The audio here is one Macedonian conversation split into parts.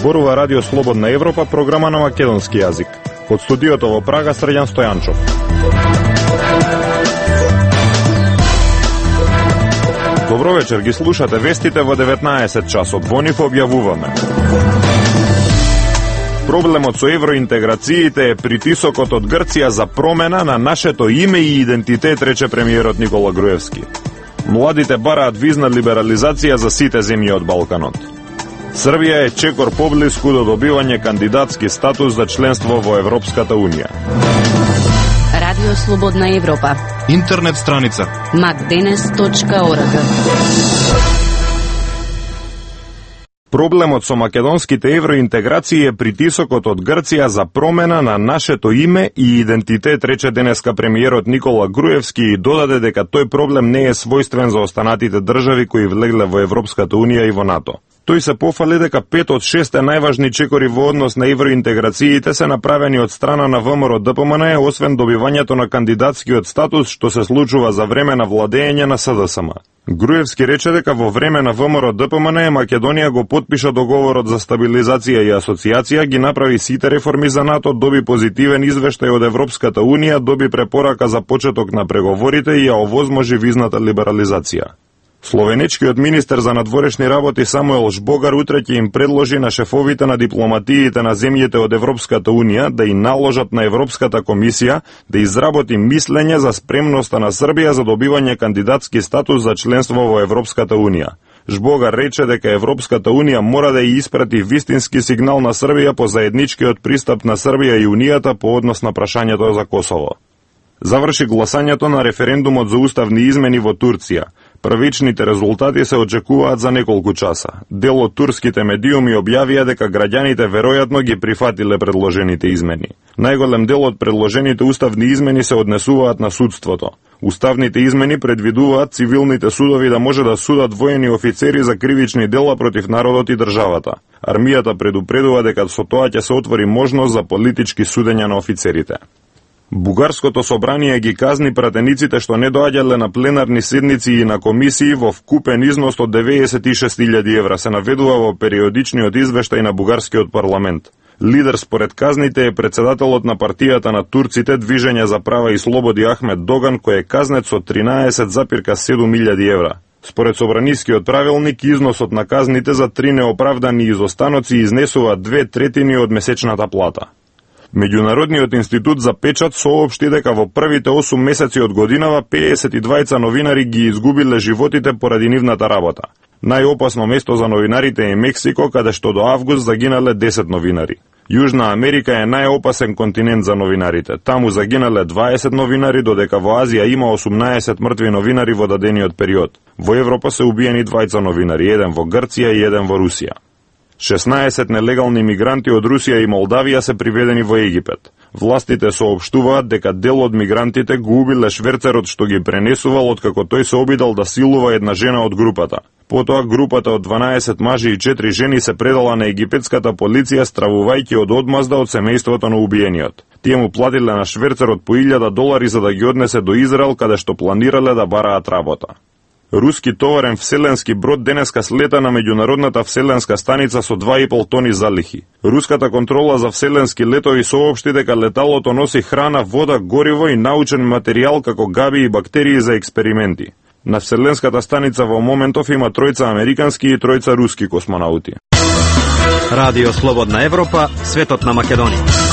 Зборува Радио Слободна Европа, програма на македонски јазик. Од студиото во Прага, Срđan Стојанчов. Добро вечер, ги слушате вестите во 19 часот. Во нив објавуваме: проблемот со евроинтеграциите е притисокот од Грција за промена на нашето име и идентитет, рече премиерот Никола Груевски. Младите бараат визна либерализација за сите земји од Балканот. Србија е чекор поблиску до добивање кандидатски статус за членство во Европската Унија. Радио Слободна Европа. Интернет страница macdenes.org. Проблемот со македонските евроинтеграции е притисокот од Грција за промена на нашето име и идентитет, рече денеска премиерот Никола Груевски и додаде дека тој проблем не е својствен за останатите држави кои влегле во Европската Унија и во НАТО. Тој се пофали дека 5 од 6 најважни чекори во однос на евроинтеграциите се направени од страна на ВМРО-ДПМН, освен добивањето на кандидатскиот статус што се случува за време на владење на СДСМ. Груевски рече дека во време на ВМРО-ДПМН Македонија го потпиша договорот за стабилизација и асоциација, ги направи сите реформи за НАТО, доби позитивен извештај од Европската Унија, доби препорака за почеток на преговорите и ја овозможи визната либерализација. Словенечкиот министер за надворешни работи Самуел Жбогар утре ќе им предложи на шефовите на дипломатиите на земјите од Европската Унија да и наложат на Европската комисија да изработи мислење за спремноста на Србија за добивање кандидатски статус за членство во Европската Унија. Жбогар рече дека Европската Унија мора да ја испрати вистински сигнал на Србија по заедничкиот пристап на Србија и Унијата по однос на прашањето за Косово. Заврши гласањето на референдумот за уставни измени во Турција. Првичните резултати се очекуваат за неколку часа. Дел од турските медиуми објавија дека граѓаните веројатно ги прифатиле предложените измени. Најголем дел од предложените уставни измени се однесуваат на судството. Уставните измени предвидуваат цивилните судови да може да судат воени офицери за кривични дела против народот и државата. Армијата предупредува дека со тоа ќе се отвори можност за политички судења на офицерите. Бугарското собрание ги казни пратениците што не доаѓале на пленарни седници и на комисии во вкупен износ од 96.000 евра, се наведува во периодичниот извештај на бугарскиот парламент. Лидер според казните е председателот на партијата на турците Движење за права и слободи Ахмет Доган, кој е казнет со 13,7.000 евра. Според собранискиот правилник, износот на казните за 3 неоправдани изостаноци изнесува 2/3 од месечната плата. Меѓународниот институт за печат соопшти дека во првите 8 месеци од годинава 52 новинари ги изгубиле животите поради нивната работа. Најопасно место за новинарите е Мексико, каде што до август загинале 10 новинари. Јужна Америка е најопасен континент за новинарите. Таму загинале 20 новинари, додека во Азија има 18 мртви новинари во дадениот период. Во Европа се убиени 2 новинари, еден во Грција и еден во Русија. 16 нелегални мигранти од Русија и Молдавија се приведени во Египет. Властите соопштуваат дека дел од мигрантите го убиле шверцерот што ги пренесувал откако тој се обидал да силува една жена од групата. Потоа групата од 12 мажи и 4 жени се предала на египетската полиција стравувајќи од одмазда од семејството на убиениот. Тие му платиле на шверцерот по $1,000 за да ги однесе до Израел, каде што планирале да бараат работа. Руски товарен вселенски брод денеска слета на меѓународната вселенска станица со 2,5 тони залихи. Руската контрола за вселенски летови соопшти дека леталото носи храна, вода, гориво и научен материјал како габи и бактерии за експерименти. На вселенската станица во моментов има 3 американски и 3 руски космонаути. Радио Слободна Европа, светот на Македонија.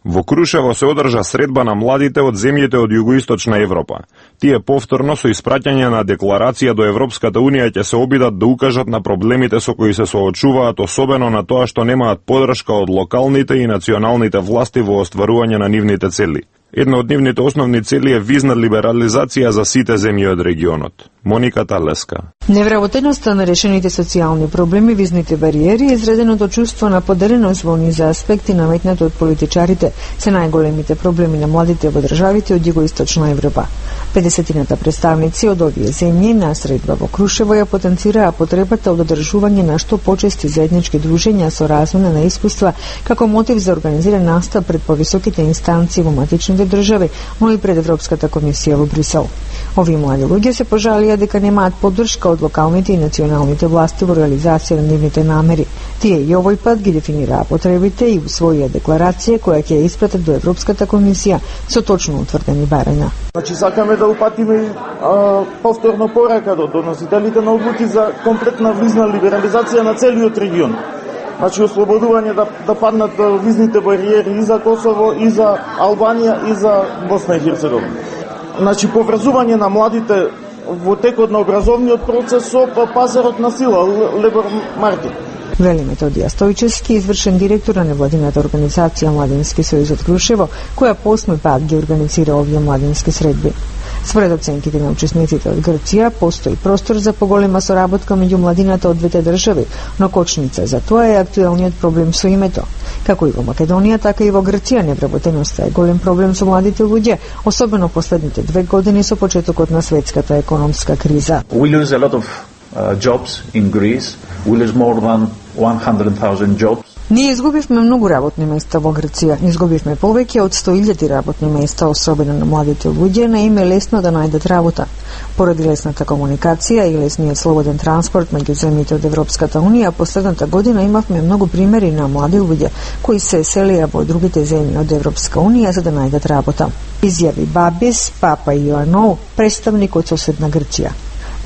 Во Крушево се одржа средба на младите од земјите од југоисточна Европа. Тие повторно со испраќање на декларација до Европската Унија ќе се обидат да укажат на проблемите со кои се соочуваат, особено на тоа што немаат подршка од локалните и националните власти во остварување на нивните цели. Една од нивните основни цели е визна либерализација за сите земји од регионот. Моника Талеска. Невработеноста на решените социјални проблеми, визните бариери и изреденото чувство на поделеност во низа аспекти наметнати од политичарите се најголемите проблеми на младите во државите од југоисточна Европа. 50-тината представници од овие земји на средба во Крушево ја потенцираа потребата од одржување на што почести заеднички дружења со размена на искуства како мотив за организиран настап пред повисоките инстанции во матичните држави, но и пред Европската комисија во Брисел. Овие млади луѓе се пожалија дека немаат поддршка од локалните и националните власти во реализација на нивните намери. Тие и овој пат ги дефинираа потребите и усвоија декларација која ќе ја испратат до Европската комисија со точно утврдени барања. Значи сакаме да упатиме повторно порака до доносителите на одлуки за комплетна визна либерализација на целиот регион. Значи ослободување да паднат визните бариери и за Косово, и за Албанија, и за Босна и Херцеговина. Значи поврзување на младите во текот на образовниот процес со пазарот на сила, лебор маркет. Вели Методија Стојчевски, извршен директор на невладината организација Младински сојуз од Крушево, која по 8 пат ги организира овие младински средби. Според оценките на учесниците од Грција, постои простор за поголема соработка меѓу младината од двете држави, но кочница за тоа е актуелниот проблем со името. Како и во Македонија, така и во Грција невработеноста е голем проблем со младите луѓе, особено последните 2 години со почетокот на светската економска криза. We lose a lot of jobs in Greece. We lose more than 100,000 jobs. Ние изгубивме многу работни места во Грција. Изгубивме повеќе од 100,000 работни места, особено на младите луѓе, на им е лесно да најдат работа. Поради лесната комуникација и лесниот слободен транспорт меѓу земјите од Европската Унија, последната година имавме многу примери на млади луѓе кои се селија во другите земји од Европска Унија за да најдат работа. Изјави Бабис Папа Иоанnou, представник од соседна Грција.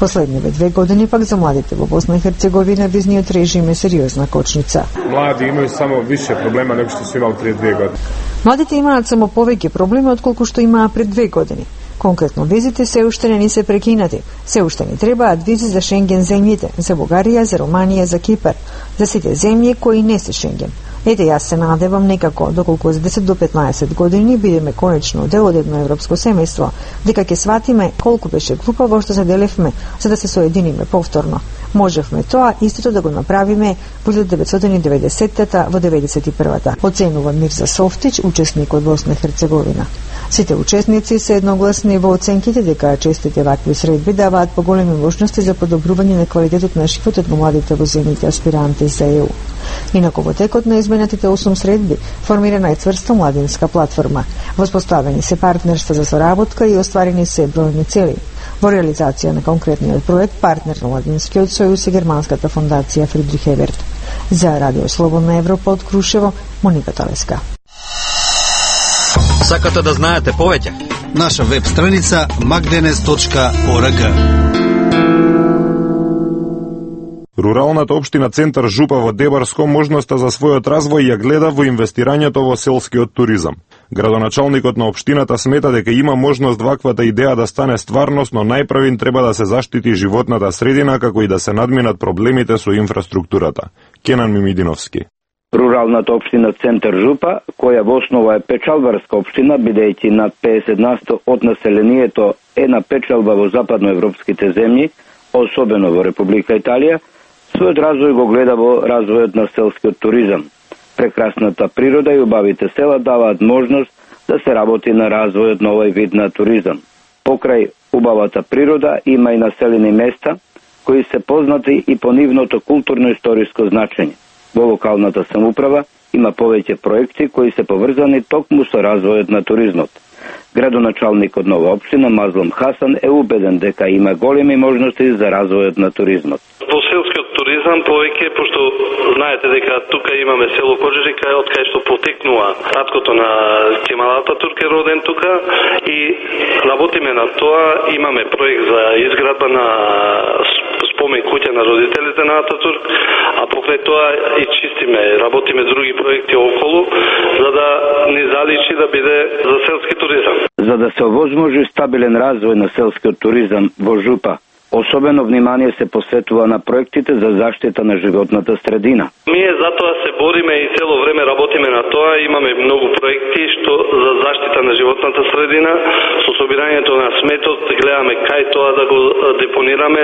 Последниве 2 години пак за младите во Босна и Херцеговина визниот режим е сериозна кочница. Млади имају само више проблема него што се имал пред 2 години. Младите имаат само повеќе проблеми отколку што имаа пред 2 години. Конкретно визите се уште не ни се прекинати. Се уште ни требаат визи за Шенген земјите, за Бугарија, за Романија, за Кипар, за сите земји кои не се Шенген. Ете, јас се надевам некако, доколку за 10 до 15 години бидеме конечно дел од едно европско семејство, дека ќе сватиме колку беше глупаво што се делевме за да се соединиме повторно. Можевме тоа истото да го направиме во 1990-та во 91-та, оценува Мирза Софтич, учесник од Босна и Херцеговина. Сите учесници се едногласни во оценките дека честите вакви средби даваат поголеми можности за подобрување на квалитетот на животот на младите во земјите аспиранти за ЕУ. Инаку во текот на изменатите 8 средби формирана е цврста младинска платформа. Воспоставени се партнерства за соработка и остварени се бројни цели. Во реализација на конкретниот проект партнер на Младинскиот сојуз е германската фондација Фридрих Еверт. За Радио Слободна Европа од Крушево, Моника Талеска. Сакате да знаете повеќе? Наша веб страница magdenes.org. Руралната општина Центар Жупа во Дебарско можноста за својот развој ја гледа во инвестирањето во селскиот туризам. Градоначалникот на општината смета дека има можност ваквата идеја да стане стварност, но најпрвин треба да се заштити животната средина како и да се надминат проблемите со инфраструктурата. Кенан Мимидиновски. Руралната општина Центар Жупа, која во основа е печалбарска општина, бидејќи над 50% од населението е на печалба во западноевропските земји, особено во Република Италија, својот развој го гледа во развојот на селскиот туризам. Прекрасната природа и убавите села даваат можност да се работи на развојот на овој вид на туризам. Покрај убавата природа има и населени места кои се познати и по нивното културно-историско значење. Во локалната самоуправа има повеќе проекти кои се поврзани токму со развојот на туризмот. Градоначалникот на оваа општина Мазлум Хасан е убеден дека има големи можности за развојот на туризмот. Во селскиот туризам повеќе, пошто знаете дека тука имаме село Кожерика, од кај што потекнува таткото на Кемал Ататурк е роден тука и работиме на тоа, имаме проект за изградба на спомен куќа на родителите на Ататурк, а покрај тоа и чистиме, работиме други проекти околу, за да не заличи да биде за селски туризам. За да се овозможи стабилен развој на селскиот туризам во Жупа, особено внимание се посветува на проектите за заштита на животната средина. Ние затоа се бориме и цело време работиме на тоа, имаме многу проекти што за заштита на животната средина, со собирањето на сметот гледаме кај тоа да го депонираме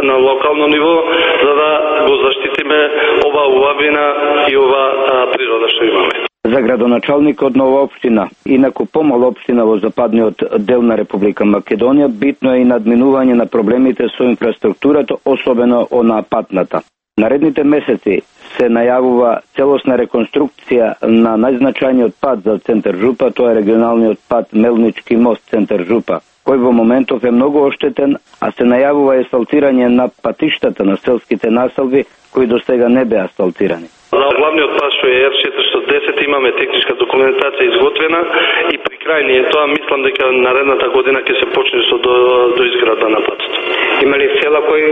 на локално ниво, за да го заштитиме оваа убавина и оваа природа што имаме. За градоначалникот на оваа општина, инаку помала општина во западниот дел на Република Македонија, битно е и надминување на проблемите со инфраструктурата, особено онаа патната. Наредните месеци се најавува целосна реконструкција на најзначајниот пат за центар Жупа, тоа е регионалниот пат Мелнички мост центар Жупа, кој во моментов е многу оштетен, а се најавува асфалтирање на патиштата на селските населби кои до сега не беа асфалтирани. На главниот пат што е R410 имаме техничка документација изготвена и при крај ние тоа мислам дека наредната година ќе се почне со до изградба на патот. Има ли села кои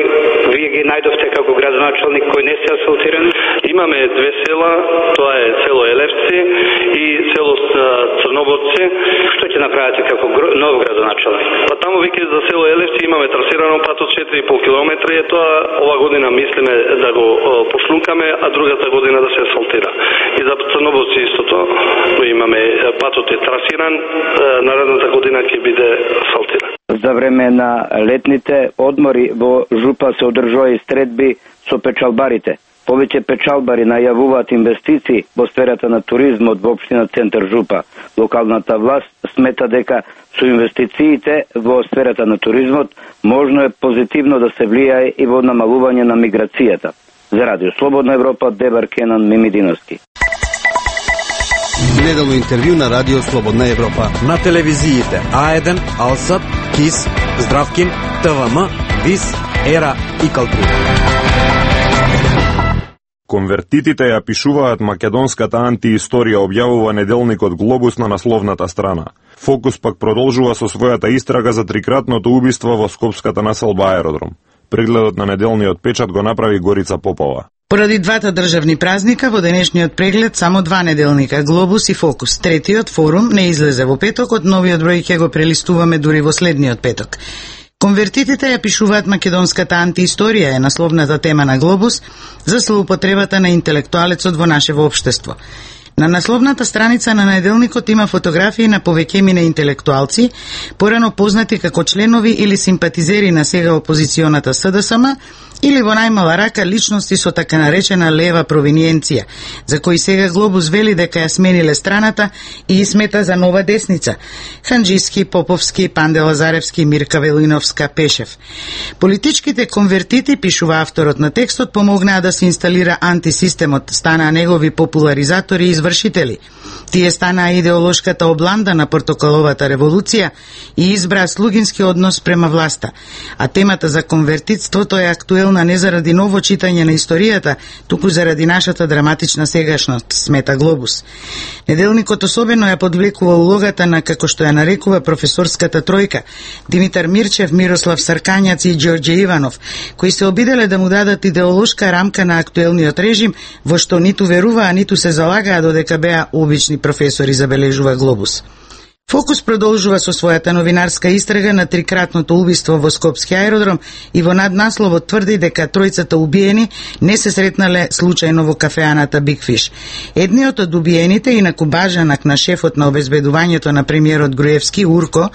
вие ги најдовте како градоначалник кои не се асфалтирани? Имаме две села, тоа е село Елевци и село Црноборци. Што ќе направите како нов градоначалник? Па таму веќе за село Елевци имаме трасирано патот 4,5 километри, и тоа ова година мислиме да го пошлункаме, а другата година да се асфалтира. И за Црноборци истото, имаме патот е трасиран, наредната година ќе биде асфалтиран. За време на летните одмори во Жупа се одржува и стредби со печалбарите. Повеќе печалбари најавуваат инвестиции во сферата на туризмот во општина Центар Жупа. Локалната власт смета дека со инвестициите во сферата на туризмот можно е позитивно да се влијае и во намалување на миграцијата. За Радио Слободна Европа, Дебар Кенан Мимидиновски. Неделно интервју на Радио Слободна Европа. На телевизиите А1, Алсат, КИС, Здравкин, ТВМ, ВИС, ЕРА и Калтура. Конвертитите ја пишуваат македонската антиисторија, објавува неделникот Глобус на насловната страна. Фокус пак продолжува со својата истрага за трикратното убиство во скопската населба Аеродром. Прегледот на неделниот печат го направи Горица Попова. Поради двата државни празника во денешниот преглед само два неделника, Глобус и Фокус. Третиот, Форум, не излезе во петокот, новиот број ќе го прелистуваме дури во следниот петок. Конвертитите ја пишуваат македонската антиисторија е насловната тема на Глобус за злоупотребата на интелектуалецот во нашево општество. На насловната страница на неделникот има фотографии на повеќемина интелектуалци, порано познати како членови или симпатизери на сега опозиционата СДСМ, или во најмала рака личности со така наречена лева провиниенција, за кои сега Глобус вели дека ја смениле страната и смета за нова десница. Ханџиски, Поповски, Панде Лазаревски, Мирка Велиновска, Пешев. Политичките конвертити, пишува авторот на текстот, помогнаа да се инсталира антисистемот, станаа негови популаризатори и извршители. Тие станаа идеолошката обланда на портокаловата револуција и избраа слугински однос према власта. А темата за конвертитството е актуелна не заради ново читање на историјата, туку заради нашата драматична сегашност, смета Глобус. Неделникот особено ја подвлекува улогата на, како што ја нарекува, професорската тројка, Димитар Мирчев, Мирослав Саркањац и Ѓорѓе Иванов, кои се обиделе да му дадат идеолошка рамка на актуелниот режим, во што ниту веруваа, ниту се залагаа додека беа обични професори, забележува Глобус. Фокус продолжува со својата новинарска истрага на трикратното убиство во Скопски аеродром и во наднасловот тврди дека тројцата убиени не се сретнале случајно во кафеаната Биг Фиш. Едниот од убиените, инаку бажанак на шефот на обезбедувањето на премиерот Груевски, Урко,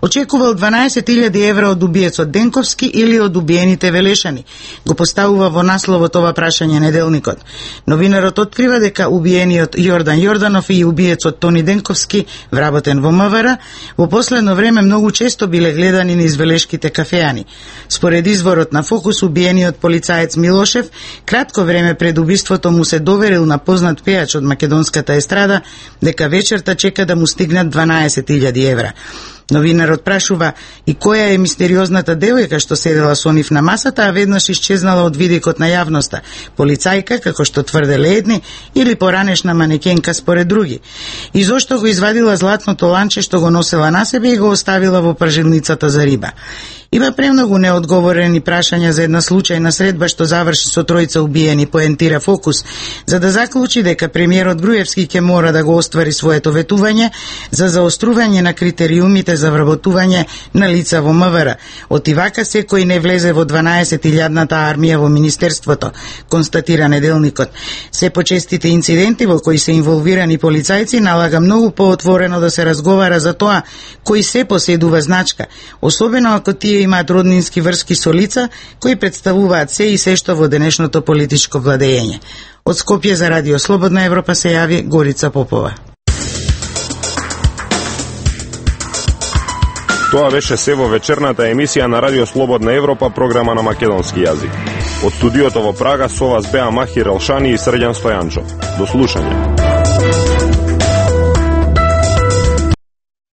очекувал 12.000 евра од убиецот Денковски или од убиените Велешани. Го поставува во насловот ова прашање неделникот. Новинарот открива дека убиениот Јордан Јорданов и убиецот Тони Денковски, вработен во МВР, во последно време многу често биле гледани низ велешките кафеани. Според изворот на Фокус, убиениот полицаец Милошев кратко време пред убиството му се доверил на познат пејач од македонската естрада дека вечерта чека да му стигнат 12.000 евра. Новинарот прашува и која е мистериозната девојка што седела со нив на масата, а веднаш исчезнала од видикот на јавноста. Полицајка, како што тврделе едни, или поранешна манекенка според други. И зошто го извадила златното ланче што го носела на себе и го оставила во пржилницата за риба. Има премногу неодговорени прашања за една случајна средба што заврши со тројца убиени, поентира Фокус, за да заклучи дека премиерот Груевски ќе мора да го оствари своето ветување за заострување на критериумите за вработување на лица во МВР. Отивака секој не влезе во 12.000-ната армија во Министерството, констатира неделникот. Се почестите инциденти во кои се инволвирани полицајци налага многу поотворено да се разговара за тоа кој се поседува значка, особено ако тие имаат роднински врски со лица кои представуваат се и се што во денешното политичко владење. Од Скопје за Радио Слободна Европа се јави Горица Попова. Тоа беше се во вечерната емисија на Радио Слободна Европа, програма на македонски јазик. Од студиото во Прага со вас беа Махир Елшани и Срđan Стојанчов. До слушање.